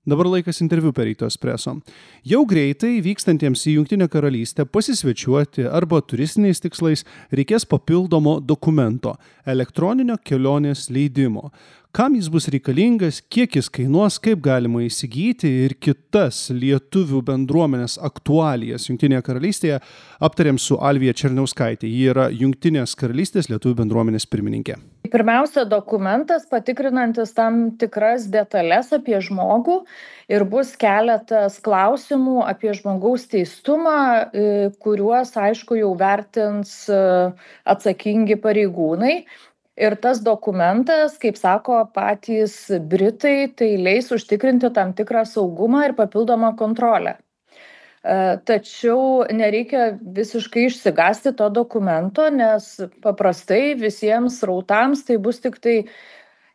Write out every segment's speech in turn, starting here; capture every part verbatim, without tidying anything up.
Dabar laikas interviu per Ryto Espresso. Jau greitai vykstantiems į Jungtinę karalystę pasisvečiuoti arba turistiniais tikslais reikės papildomo dokumento – elektroninio kelionės leidimo. Kam jis bus reikalingas, kiek jis kainuos, kaip galima įsigyti ir kitas lietuvių bendruomenės aktualijas Jungtinėje karalystėje aptarėm su Alvija Černiauskaitė. Ji yra Jungtinės karalystės lietuvių bendruomenės pirmininkė. Pirmiausia, dokumentas patikrinantis tam tikras detalės apie žmogų ir bus keletas klausimų apie žmogaus teistumą, kuriuos, aišku, jau vertins atsakingi pareigūnai. Ir tas dokumentas, kaip sako patys Britai, tai leis užtikrinti tam tikrą saugumą ir papildomą kontrolę. Tačiau nereikia visiškai išsigąsti to dokumento, nes paprastai visiems srautams tai bus tik tai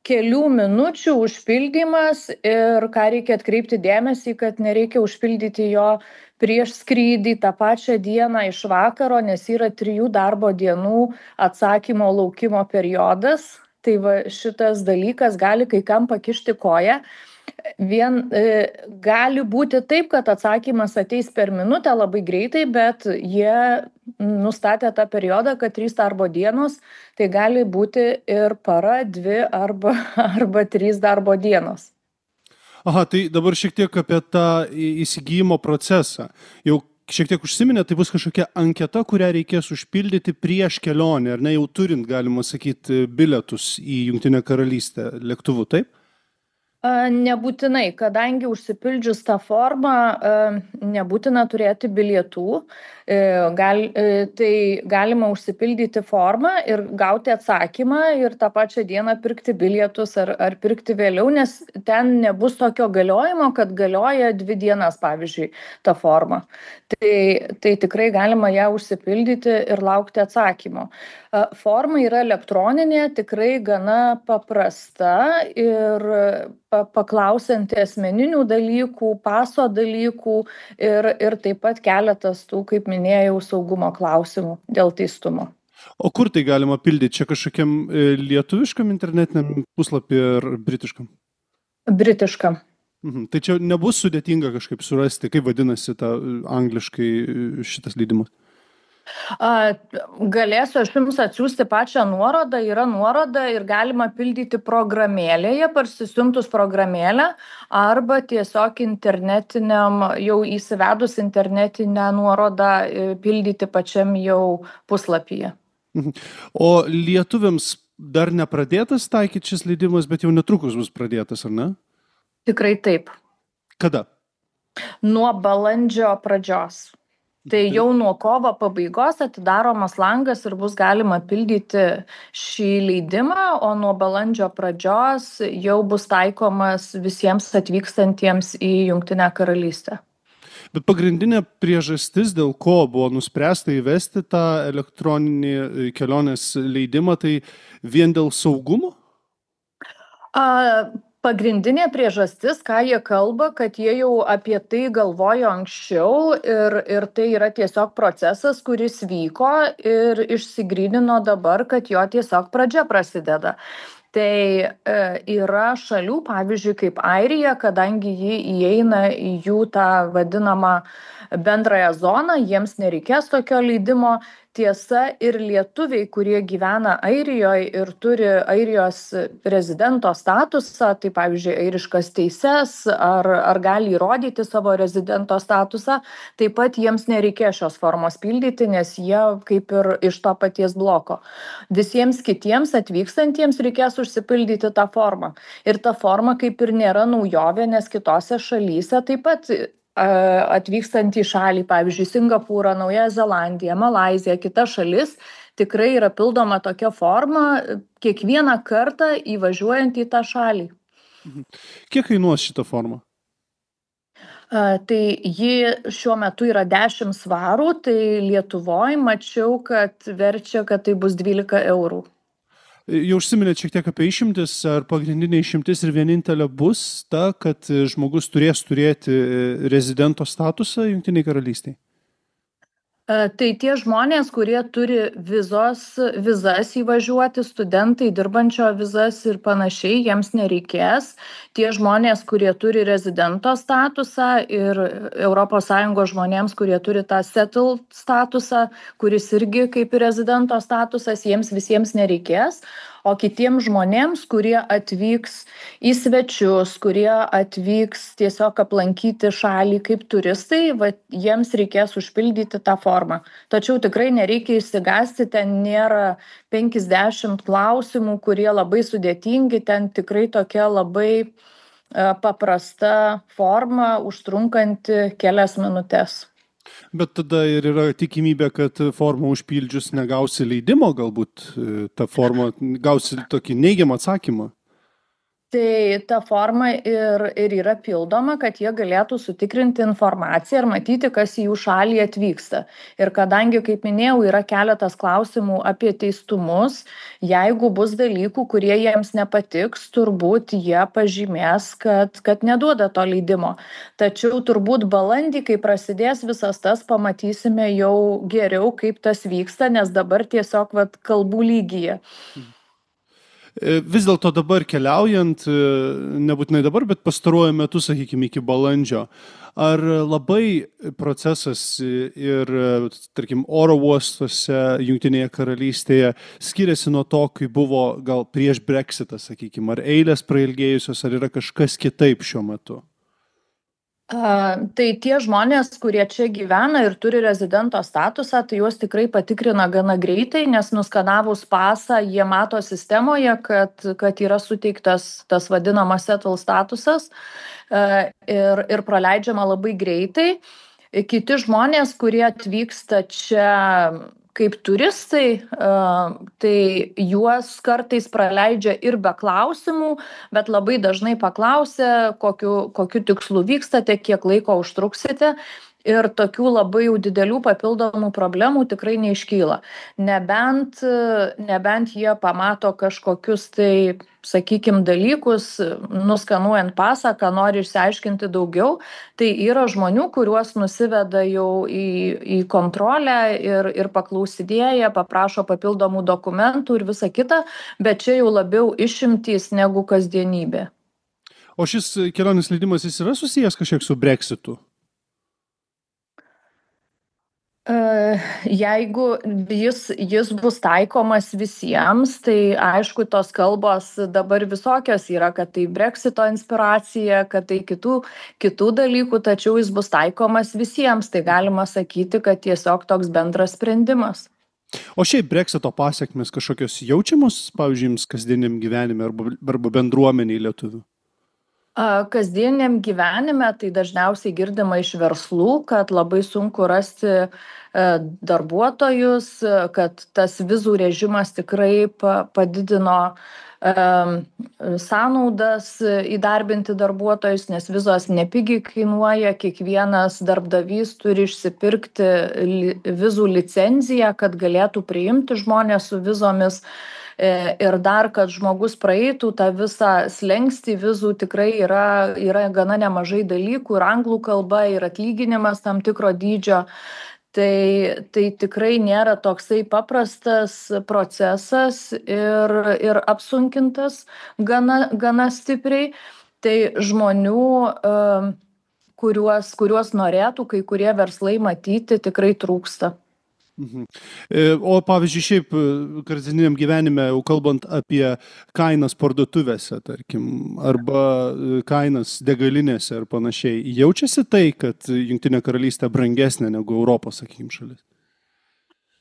kelių minučių užpildymas ir ką reikia atkreipti dėmesį, kad nereikia užpildyti jo prieš skrydį tą pačią dieną iš vakaro, nes yra trijų darbo dienų atsakymo laukimo periodas. Tai va, šitas dalykas gali kai kam pakišti koją. Vien e, gali būti taip, kad atsakymas ateis per minutę labai greitai, bet jie nustatė tą periodą, kad trys darbo dienos, tai gali būti ir para, dvi arba, arba trys darbo dienos. Aha, tai dabar šiek tiek apie tą įsigijimo procesą. Jau šiek tiek užsiminė, tai bus kažkokia anketa, kurią reikės užpildyti prieš kelionę, ar ne, jau turint, galima sakyti, bilietus į Jungtinę karalystę lėktuvu, taip? Nebūtinai, kadangi užsipildžius tą formą nebūtina turėti bilietų, gal, tai galima užsipildyti formą ir gauti atsakymą ir tą pačią dieną pirkti bilietus ar, ar pirkti vėliau, nes ten nebus tokio galiojimo, kad galioja dvi dienas, pavyzdžiui, tą formą. Tai, tai tikrai galima ją užsipildyti ir laukti atsakymo. Forma yra elektroninė, tikrai gana paprasta ir paklausianti asmeninių dalykų, paso dalykų ir, ir taip pat keletas tų, kaip minėjau, saugumo klausimų dėl teistumo. O kur tai galima pildyti? Čia kažkokiam lietuviškam internetiniam puslapį ar britiškam? Britiškam. Mhm. Tai čia nebus sudėtinga kažkaip surasti, kaip vadinasi ta angliškai šitas leidimas? Galėsiu aš jums atsiųsti pačią nuorodą, yra nuoroda ir galima pildyti programėlėje, parsisiuntus programėlę arba tiesiog internetiniam, jau įsivedus internetinę nuorodą pildyti pačiam jau puslapyje. O lietuviams dar nepradėtas taikyti šis leidimas, bet jau netrukus bus pradėtas, ar ne? Tikrai taip. Kada? Nuo balandžio pradžios. Tai jau nuo kovo pabaigos atidaromas langas ir bus galima pildyti šį leidimą, o nuo balandžio pradžios jau bus taikomas visiems atvykstantiems į Jungtinę karalystę. Bet pagrindinė priežastis, dėl ko buvo nuspręsta įvesti tą elektroninį kelionės leidimą, tai vien dėl saugumo? A, Pagrindinė priežastis, ką jie kalba, kad jie jau apie tai galvojo anksčiau ir, ir tai yra tiesiog procesas, kuris vyko ir išsigrynino dabar, kad jo tiesiog pradžia prasideda. Tai e, yra šalių, pavyzdžiui, kaip Airija, kadangi ji įeina į jų tą vadinamą bendrąją zoną, jiems nereikės tokio leidimo. Tiesa, ir lietuviai, kurie gyvena Airijoje ir turi Airijos rezidento statusą, tai pavyzdžiui, airiškas teises ar, ar gali įrodyti savo rezidento statusą, taip pat jiems nereikės šios formos pildyti, nes jie kaip ir iš to paties bloko. Visiems kitiems atvykstantiems reikės užsipildyti tą formą. Ir ta forma kaip ir nėra naujovė, nes kitose šalyse taip pat atvykstant į šalį, pavyzdžiui, Singapūrą, Naująją Zelandiją, Malaiziją, kita šalis, tikrai yra pildoma tokia forma kiekvieną kartą įvažiuojant į tą šalį. Kiek kainuos šitą formą? Tai ji šiuo metu yra dešimt svarų, tai Lietuvoje mačiau, kad verčia, kad tai bus dvylika eurų. Jau užsiminėt šiek tiek apie išimtis, ar pagrindinė išimtis ir vienintelė bus ta, kad žmogus turės turėti rezidento statusą Jungtinėje karalystėje? Tai tie žmonės, kurie turi vizos, vizas įvažiuoti, studentai, dirbančio vizas ir panašiai, jiems nereikės. Tie žmonės, kurie turi rezidento statusą ir Europos Sąjungos žmonėms, kurie turi tą settled statusą, kuris irgi kaip ir rezidento statusas, jiems visiems nereikės. O kitiems žmonėms, kurie atvyks į svečius, kurie atvyks tiesiog aplankyti šalį kaip turistai, va, jiems reikės užpildyti tą formą. Tačiau tikrai nereikia išsigąsti, ten nėra penkiasdešimt klausimų, kurie labai sudėtingi, ten tikrai tokia labai e, paprasta forma, užtrunkanti kelias minutes. Bet tada ir yra tikimybė, kad formą užpildžius negausi leidimo, galbūt tą formą gausi tokį neigiamą atsakymą. Tai ta forma ir, ir yra pildoma, kad jie galėtų sutikrinti informaciją ir matyti, kas į jų šalį atvyksta. Ir kadangi, kaip minėjau, yra keletas klausimų apie teistumus, jeigu bus dalykų, kurie jiems nepatiks, turbūt jie pažymės, kad, kad neduoda to leidimo. Tačiau turbūt balandį, kai prasidės visas tas, pamatysime jau geriau, kaip tas vyksta, nes dabar tiesiog vat, kalbų lygyje. Vis dėlto dabar keliaujant, nebūtinai dabar, bet pastaruoju metu, sakykime, iki balandžio, ar labai procesas ir, tarkim, oro uostuose Jungtinėje karalystėje skiriasi nuo to, kai buvo gal prieš Brexitą, sakykime, ar eilės prailgėjusios, ar yra kažkas kitaip šiuo metu? Uh, tai tie žmonės, kurie čia gyvena ir turi rezidento statusą, tai juos tikrai patikrina gana greitai, nes nuskanavus pasą, jie mato sistemoje, kad, kad yra suteiktas tas vadinamas settled statusas uh, ir, ir praleidžiama labai greitai. Kiti žmonės, kurie atvyksta čia kaip turistai, tai juos kartais praleidžia ir be klausimų, bet labai dažnai paklausia, kokiu, kokiu tikslu vykstate, kiek laiko užtruksite. Ir tokių labai jau didelių papildomų problemų tikrai neiškyla. Nebent, nebent jie pamato kažkokius tai, sakykime, dalykus, nuskanuojant pasą, ką nori išsiaiškinti daugiau, tai yra žmonių, kuriuos nusiveda jau į, į kontrolę ir, ir paklausidėja, paprašo papildomų dokumentų ir visa kita, bet čia jau labiau išimtys negu kasdienybė. O šis kelionės leidimas jis yra susijęs kažkiek su Brexitu? Jeigu jis, jis bus taikomas visiems, tai aišku, tos kalbos dabar visokios yra, kad tai Brexito inspiracija, kad tai kitų, kitų dalykų, tačiau jis bus taikomas visiems, tai galima sakyti, kad tiesiog toks bendras sprendimas. O šiaip Brexito pasiekmes kažkokios jaučiamos, pavyzdžiui, jums kasdieniam gyvenime arba, arba bendruomeniai lietuvių? Kasdieniam gyvenime tai dažniausiai girdima iš verslų, kad labai sunku rasti darbuotojus, kad tas vizų režimas tikrai padidino sąnaudas įdarbinti darbuotojus, nes vizos nepigiai kainuoja, kiekvienas darbdavys turi išsipirkti vizų licenciją, kad galėtų priimti žmonės su vizomis. Ir dar, kad žmogus praeitų tą visą slenkstį vizų, tikrai yra, yra gana nemažai dalykų, ir anglų kalba, ir atlyginimas tam tikro dydžio. Tai, tai tikrai nėra toksai paprastas procesas ir, ir apsunkintas gana, gana stipriai. Tai žmonių, kuriuos, kuriuos norėtų kai kurie verslai matyti, tikrai trūksta. Mhm. O pavyzdžiui, šiaip kasdieniam gyvenime, jau kalbant apie kainas parduotuvėse, tarkim, arba kainas degalinėse ir panašiai, jaučiasi tai, kad Jungtinė karalystė brangesnė negu Europos, sakykim, šalis?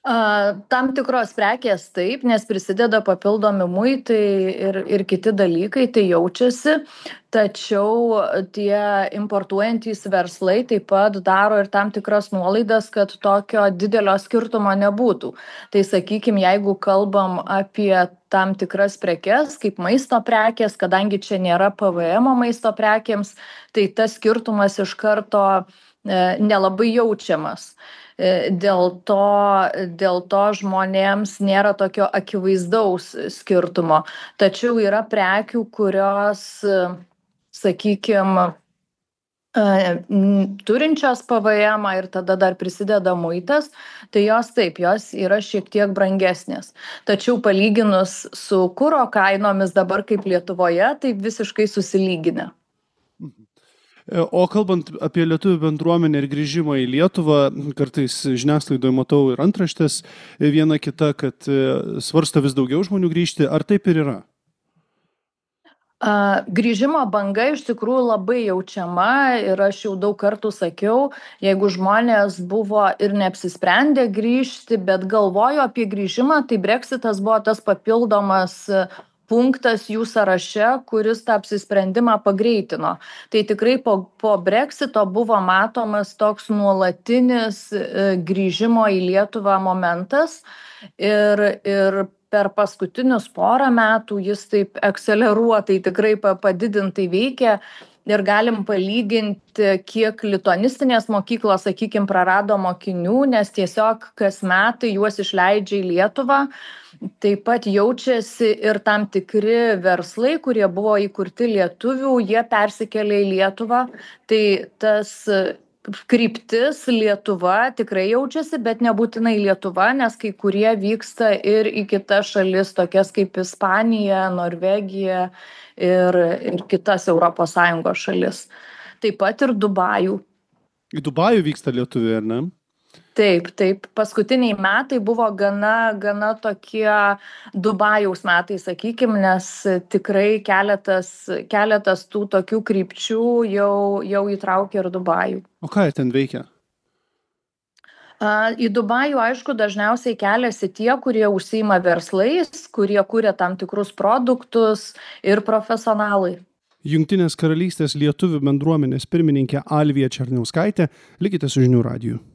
Tam tikros prekės taip, nes prisideda papildomi muitai ir, ir kiti dalykai, tai jaučiasi, tačiau tie importuojantys verslai taip pat daro ir tam tikras nuolaidas, kad tokio didelio skirtumo nebūtų. Tai sakykime, jeigu kalbam apie tam tikras prekes, kaip maisto prekės, kadangi čia nėra P V M maisto prekėms, tai tas skirtumas iš karto nelabai jaučiamas. Dėl to, dėl to žmonėms nėra tokio akivaizdaus skirtumo. Tačiau yra prekių, kurios, sakykime, Turinčios P V M ir tada dar prisideda muitas, tai jos taip, jos yra šiek tiek brangesnės. Tačiau palyginus su kuro kainomis dabar kaip Lietuvoje, tai visiškai susilyginę. O kalbant apie lietuvių bendruomenę ir grįžimą į Lietuvą, kartais žiniasklaidoje matau ir antraštės viena kita, kad svarsto vis daugiau žmonių grįžti. Ar taip ir yra? Grįžimo banga iš tikrųjų labai jaučiama ir aš jau daug kartų sakiau, jeigu žmonės buvo ir neapsisprendę grįžti, bet galvojo apie grįžimą, tai Brexitas buvo tas papildomas punktas jų sąraše, kuris tą apsisprendimą pagreitino. Tai tikrai po, po Brexito buvo matomas toks nuolatinis grįžimo į Lietuvą momentas ir, ir per paskutinius porą metų jis taip akceleruotai, tikrai padidintai veikia ir galim palyginti, kiek lituanistinės mokyklos, sakykime, prarado mokinių, nes tiesiog kas metai juos išleidžia į Lietuvą. Taip pat jaučiasi ir tam tikri verslai, kurie buvo įkurti lietuvių, jie persikėlė į Lietuvą. Tai tas kryptis Lietuva tikrai jaučiasi, bet nebūtinai Lietuva, nes kai kurie vyksta ir į kitas šalis, tokias kaip Ispanija, Norvegija ir, ir kitas Europos Sąjungos šalis. Taip pat ir Dubajų. Į Dubajų vyksta lietuviai, ar ne? Taip, taip. Paskutiniai metai buvo gana, gana tokie Dubajaus metai, sakykime, nes tikrai keletas, keletas tų tokių krypčių jau, jau įtraukė ir Dubajų. O ką jie ten veikia? Į Dubajų, aišku, dažniausiai keliasi tie, kurie užsiima verslais, kurie kuria tam tikrus produktus ir profesionalai. Jungtinės karalystės lietuvių bendruomenės pirmininkė Alvija Černiauskaitė. Likite su Žinių radiju.